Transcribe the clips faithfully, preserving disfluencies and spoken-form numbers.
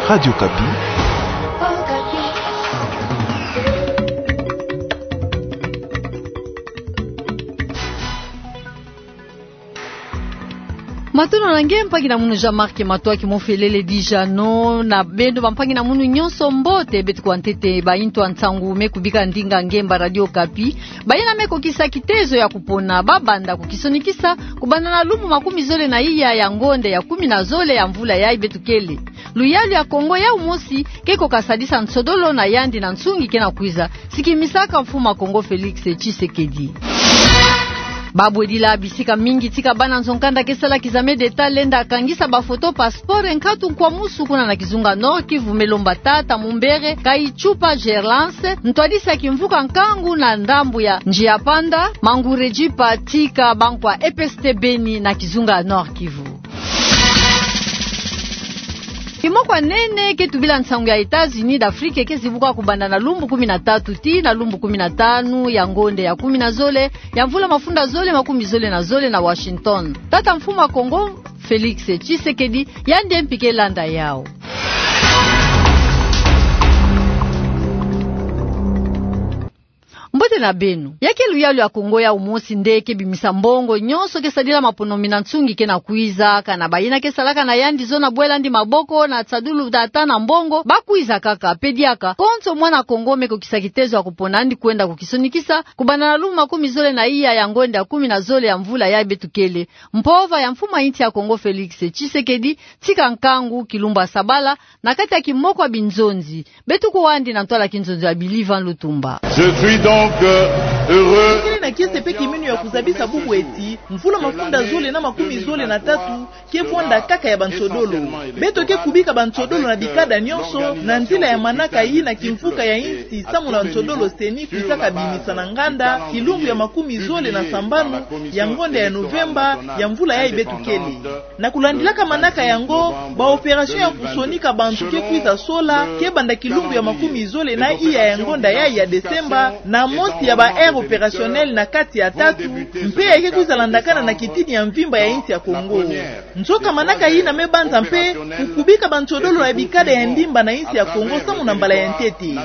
Radio Okapi. Matondo na nge mpangi na munu Jean-Marc Matoaki Mofelele Dijano, na beno bampangi na munu nyonso mbote. Beto kuwa ntete ba intu ya nsangu me kubika ndinga ngemba Radio Okapi. Bayina me kokisa kitezo ya kupona, babanda kukisonikisa kubanda na lumbu makumi zole na iya ya ngonde ya kumi na zole ya mvula yayi beto kele. Luyalu ya Kongo yau mosi ke kokasadisa nsodolo na yandi na nsungi ke na kwiza, sikimisaka mfumu ya Kongo Felix Tshisekedi. Babwedila bisika mingi tika bana nzo-nkanda ke sala kizame d'Etat lenda kangisa bafoto passeport nkatu nkwamusu kuna na kizunga Nord-Kivu, me lomba tata Mumbere Kayichupa Gerlance, ntwadisi ya kimvuka nkangu na ndambu ya Njiapanda, Mangurejipa, tika bankwa E P S T Beni na kizunga Nord-Kivu. Kimoko ya nene ke tubila nsangu ya États-Unis d'Afrique ke zibuka kubanda na lumbu kumi na tatu tii na lumbu kumi na tanu ya ngonde ya kumi na zole ya mvula mafunda zole makumi zole na zole na Washington. Tata mfumu ya Kongo Felix Tshisekedi, yandi mpi ke landa yau. Mbote na beno. Ya ke luyalu ya Kongo yau mosi nde ke bimisa mbongo nyonso ke sadila maponomi na nsungi ke na kwiza, kana bayina ke salaka na yandi zona bwela yandi maboko na tsadulu tata na mbongo, bakwiza kaka. Pe diaka, konso mwana Kongo me kokisa kitezo ya kupona yandi kwenda kukisonikisa kubanda na lumbu makumi zole na iya ya ngonde ya kumi na zole ya mvula yayi beto kele. Mpova ya mfumu ya insi ya Kongo Felix Tshisekedi tika nkangu kilumbu ya sabala na kati ya kimoko ya binzonzi. Beto kuwa yandi na ntwala kinzonzi ya Billy Van Lutumba. Je suis donc, euh, heureux. Kele na kiese pe kiminu ya kuzabisa bubu eti mvula mafunda zole na makumi zole na tatu ke vwanda kaka ya bansodolo. Beto ke kubika bansodolo na bikada nyonso na nzila ya manaka yina kimvuka ya insi samu na nsodolo CENI kwizaka bimisa na nganda kilumbu ya makumi zole na sambanu ya ngonde ya Novemba ya mvula yayi beto kele. Na kulandilaka manaka yango, ba opération ya kusonika bantu ke kwiza sola, ke banda kilumbu ya makumi zole na iya ya ngonda yayi ya Desemba, na mosi ya ba aires opérationnelles na kati ya tatu, mpe ya ke kwiza landakana na kitini ya mvimba ya insi ya Kongo. Nzoka manaka yina me banza mpe kukubika bansodolo na bikada ya ndimba na insi ya Kongo samu na mbala ya ntete.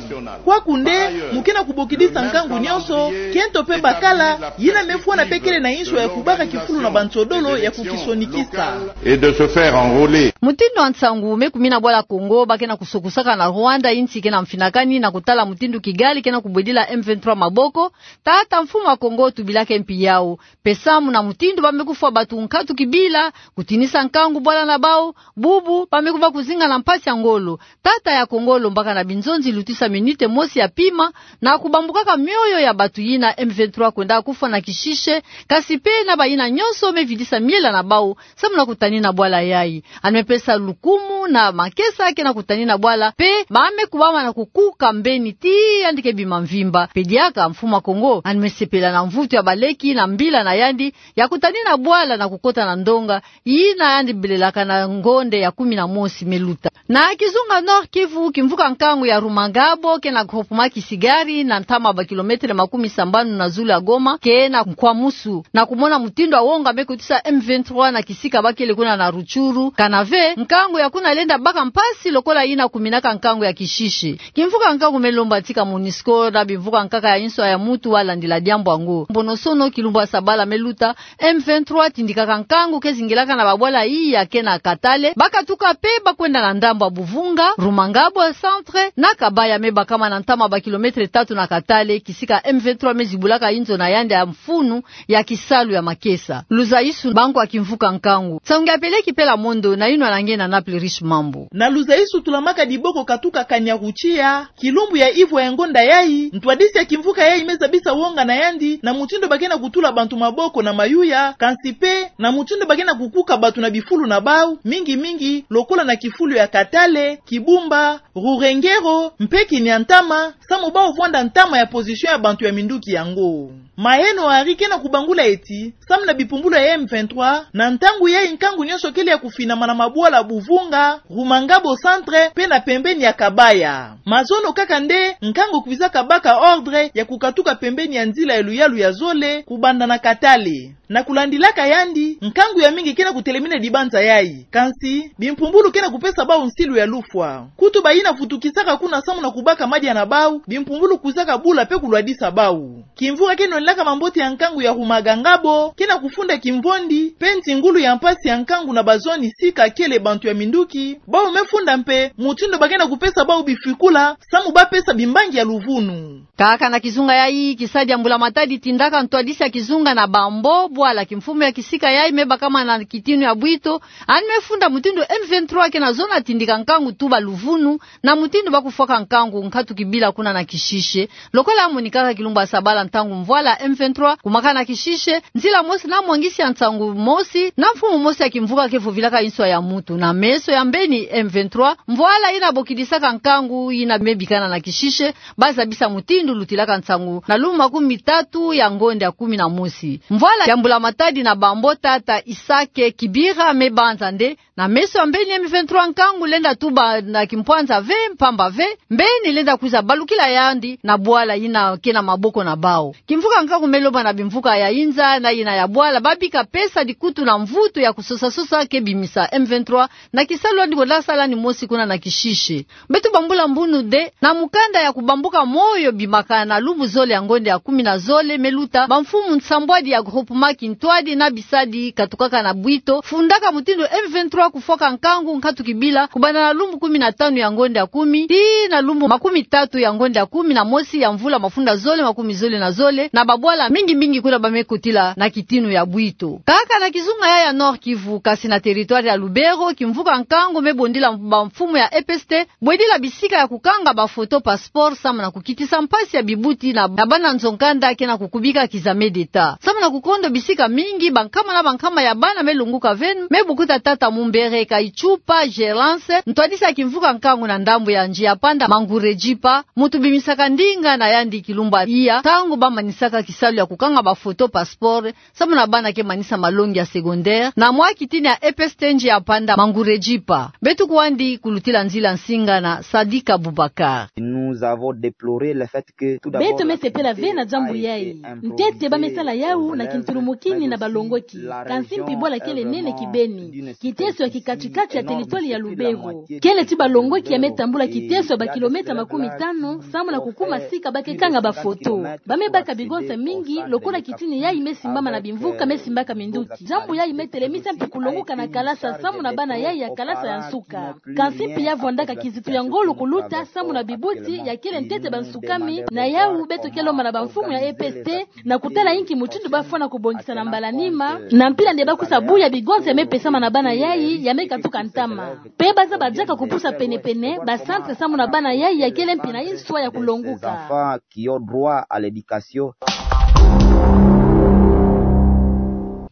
Kwaku nde, mu ke na kubokidisa nkangu nyonso, kento pe bakala, yina me fwana pe kele na inswa ya kubaka kifulu na bansodolo ya kukisonikisa. Et de se faire enrôler. Mutindu ya nsangu me kumina bwala Kongo, ba ke na kusokusaka na Rwanda, insi ke na mfinakani na kutala mutindu Kigali ke na kubwedila M vingt-trois maboko, tata mfumu ya Kongo tubilaka mpi yau. Pe samu na mutindu ba me kufwa bantu nkatu kibila, kutinisa nkangu bwala na bau, bubu, ba me kubaka kuzinga na mpasi ya ngolo. Tata ya Kongo lombaka na binzonzi lutisa minute mosi ya pima, na kubambukaka mioyo ya bantu yina M vingt-trois kwendaka kufwa na kishishe, kasi pe na bayina nyonso me vidisa miela na bau, samu na kutanina bwala yayi. Yandi me pesa lukumu na makesa ke na kutanina bwala, pe ba me kubama na kukuka mbeni tii yandi ke bima mvimba. Pe diaka mfumu ya Kongo, yandi me sepela na mvutu ya baleki na mbila na yandi, ya kutanina bwala na kukota na ndonga, yina yandi belelaka na ngonde ya kumi na mosi me luta. Na kizunga Nord-Kivu, kimvuka nkangu ya Rumangabo, ke na groupement Kisigari, na ntama ba kilometre makumi sambanu na zulu ya Goma, ke na nkwamusu. Na kumona mutindu ya wonga me kotisa M vingt-trois na kisika ba kele kuna na Rutshuru, kana ve, nkangu ya kuna lenda baka mpasi lokola yina kuminaka nkangu ya kishishe. Kimvuka nkangu me lomba tika MONUSCO na bimvuka nkaka ya insi ya mutu wa landila diambu yango. Mbonosono kilumbu ya sabala me luta, M vingt-trois tindikaka nkangu ke zingilaka na babwala iya ke na Katale, ba katuka pe ba kwenda na ndambu ya Buvunga, Rumangabo ya centre, na Kabaya me bakama na ntama ba kilometre tatu na Katale, kisika M vingt-trois me zibulaka inzo na yandi ya mfunu ya kisalu ya makesa. Luzaisu, bantu ya kimvuka nkangu. Nsangu ya peleki pela mondo, na yinwa na nge na Naples Riche Mambu. Na Luzaisu tulamaka diboko katuka Kanyaruchiya, kilumbu ya ivwa ya ngonda yayi, ntwadisi ya kimvuka yayi me zabisa wonga na yandi, na mutindu ba ke na kutula bantu maboko na mayuya, kansi pe, na mutindu ba ke na kukuka bantu na bifulu na bau, mingi mingi, lokola na kifulu ya Katale, Kibumba, Rurengero mpe Kiniantama, samu bau vwanda ntama ya position ya bantu ya minduki yango. Maheno Henri ke na kubangula ti, samu na bimpumbulu ya M vingt-trois, na ntangu yayi nkangu nyonso kele ya kufinama na mabwala Buvunga, Rumangabo Centre, mpe na pembeni ya Kabaya. Mazono kaka nde nkangu kwizaka baka ordre ya kukatuka pembeni ya nzila ya luyalu ya zole, kubanda na Katale. Na kulandilaka yandi, nkangu ya mingi ke na kutelemina dibanza yayi. Kansi, bimpumbulu ke na kupesa bau nsilu ya lufwa. Kutu bayina vutukisaka kuna samu na kubaka madia na bau, bimpumbulu kwizaka bula mpe kulwadisa bau. Kimvuka ke nonelaka mambote ya nkangu ya Rumangabo, ke na kufunda kimvondi, mpe ntingulu ya mpasi ya nkangu na bazoni sika kele bantu ya minduki, bau me funda mpe, mutindu ba ke na kupesa bau bifikula, samu ba pesa bimbangi ya luvunu. Kaka na kizunga yayi, kisadi ya mbula matadi tindaka ntwadisi ya kizunga na Bambo, bwala kimfumu ya kisika yayi me bakama na kitinu ya bwito, yandi me funda mutindu M vingt-trois ke na zona tindika nkangu tuba luvunu, na mutindu ba kufwaka nkangu nkatu kibila kuna na Kishishe, lokola monikaka kilumbu ya sabala ntangu mvwala M vingt-trois kumakana Kishishe, nzila mosi na mwangisi ya nsangu mosi, na mfumu mosi ya kimvuka ke vovilaka nswa ya mutu, na meso ya mbeni M vingt-trois, mvwala yina bokidisaka nkangu yina me bikana na Kishishe, ba zabisa mutindu lutilaka nsangu na lumbu makumi tatu ya ngonda ya kumi na mosi. Mvwala ya mbula matadi na Bambo tata Isake Kibira me banza nde, na meso ya mbeni M vingt-trois nkangu lenda tuba na kimpwanza ve, mpamba ve, mbeni lenda kwiza balukila yandi na bwala yina ke na maboko na bau. Kimvuka nkangu me loba na bimvuka ya inza na yina ya bwala, ba bika pesa dikutu na mvutu ya kusosa-sosa ke bimisa M vingt-trois, na kisalu yandi bo lenda sala yandi mosi kuna na Kishishe. Beto bambula mbunu nde, na mukanda ya kubambuka moyo bimakana na lumbu zole ya ngonda ya kumi na zole me luta, bamfumu nsambwadi ya groupement kintwadi na bisadi katukaka na bwito, fundaka mutindu M vingt-trois kufwaka nkangu nkatu kibila, kubanda na lumbu kumi na tanu ya ngonda ya kumi, tii na lumbu makumi tatu ya ngonda ya kumi na mosi ya mvula mafunda zole makumi zole na zole, na babwala mingi-mingi kuna ba me kotila na kitinu ya bwito. Kaka na kizunga yayi ya Nord-Kivu, kasi na territoire ya Lubero, kimvuka nkangu me bondila bamfumu ya E P S T, bwedila bisika ya kukanga bafoto passeport samu na kukitisa mpasi ya bibuti na, na bana nzo-nkanda ke na kukubika k'examen d'État. Samu na kukondo bisika mingi, bankama na bankama ya bana me lunguka ve, me bukuta tata Mumbere Kaichupa Gerance, ntwadisi ya kimvuka nkangu na ndambu ya Njiapanda Mangurejipa, mutu bimisaka ndinga na yandi kilumbu ya iya, ntangu ba manisaka kisalu ya kukanga bafoto passeport, samu na bana ke manisa malongi ya secondaire, na mwa kitini ya E P S T Njiapanda Mangurejipa. Beto kwandi kulutila nzila nsinga na Sadika Boubacar. Nous avons déploré le fait que, tout d'abord, beto me sepela ve na diambu yayi. Ntete ba me sala yawu na kintulumukini na balongoki. Kansi mpi bwala kele nene kibeni. Kiteso ya kikati-kati ya territoire ya Lubero. Kele ti balongoki ya me tambula kiteso ya bakilomètre makumi tanu, samu na kukuma sika ba ke kanga bafoto. Ba me baka bigonsa mingi, lokola kitini yayi me simbama na bimvuka me simbaka minduki. Diambu yayi me telemisa mpi kulonguka na kalasa samu na bana yayi ya kalasa ya nsuka. Kansi mpi ya vwandaka kizitu ya ngolo kuluta samu na bibuti ya kele ntete bansukami, na yawu beto ke lomba na bamfumu ya E P S T, na kutala inki mutindu ba fwana kubongisa na mbala nima, na mpila nde ba kwiza buya bigonsa ya me pesama na bana yayi ya me katuka ntama. Mpe ba zaba diaka kupusa pene-pene bacentre samu na bana yayi ya kele mpi na inswa ya kulonguka. Enfants qui ont droit à l'éducation.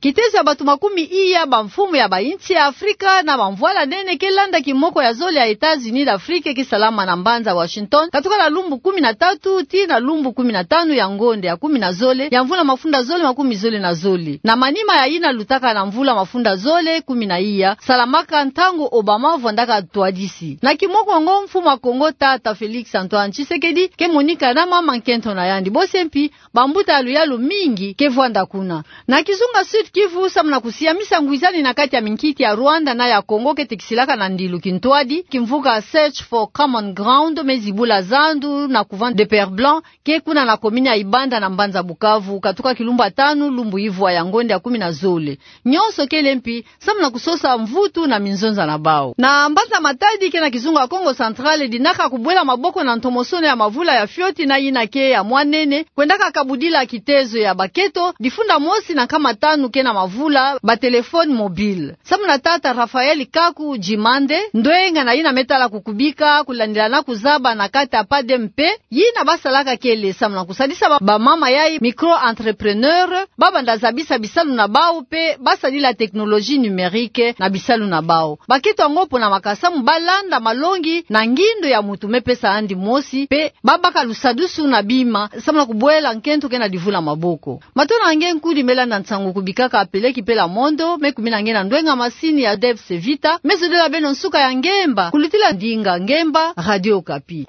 Kiteso ya bato makumi iya, bamfumu ya bainsi ya Afrika na bamvwala nene ke landa kimoko ya zole ya États-Unis d'Afrique ke salama na mbanza Washington, katuka na lumbu kumi na tatu tii na lumbu kumi na tanu ya ngonda ya kumi na zole ya mvula mafunda zole makumi zole na zole. Na manima ya yina lutaka na mvula mafunda zole kumi na iya, salamaka ntangu Obama vwandaka ntwadisi. Na kimoko yango, mfumu ya Congo tata Félix Antoine Tshisekedi ke monika na mama nkento na yandi. Bose mpi, bambuta ya luyalu mingi ke vwanda kuna. Na kizunga Sud-Kivu, samu na kusiamisa ngwizani na kati ya minkiti ya Rwanda na ya Congo ke tekisilaka na ndilu kintwadi, kimvuka Search for Common Ground me zibula zandu na couvent de Père Blanc, ke kuna na commune ya Ibanda na mbanza Bukavu, katuka kilumbu ya tanu lumbu ivwa ya ngonda ya kumi na zole. Nyonso kele mpi samu na kusosa mvutu na minzonza na bau. Na mbanza Matadi ke na kizunga Kongo Central, dinaka kubwela maboko na ntomosono ya mavula ya fioti na yina ke ya mwa nene, kwendaka kabudila kitezo ya baketo, difunda mosi na nkama tanu ke na mavula ba téléphone mobile. Samu na tata Raphaël Kaku Djimande, ndwenga na yina me tala kukubika, kulandila na kuzaba na kati ya PADEMP, yina basalaka kele samu na kusadisa ba, bamama yayi micro-entrepreneurs, ba banda zabisa bisalu na bawu mpe basadila technologie numérique na bisalu na bawu. Bakento yango pona makasa samu balanda malongi na ngindo ya moto me pesa yandi mosi, mpe babaka lusadusu na bima, samu na kubwela nkento ke na divula maboko. Matondo na nge nkudi me landa nsangu kubika ka peleki pela mondo, me kumina nge na ndwenga masini ya Debs Vita, me zodila beno nsuka ya ngemba, kulutila ndinga ngemba, Radio Okapi.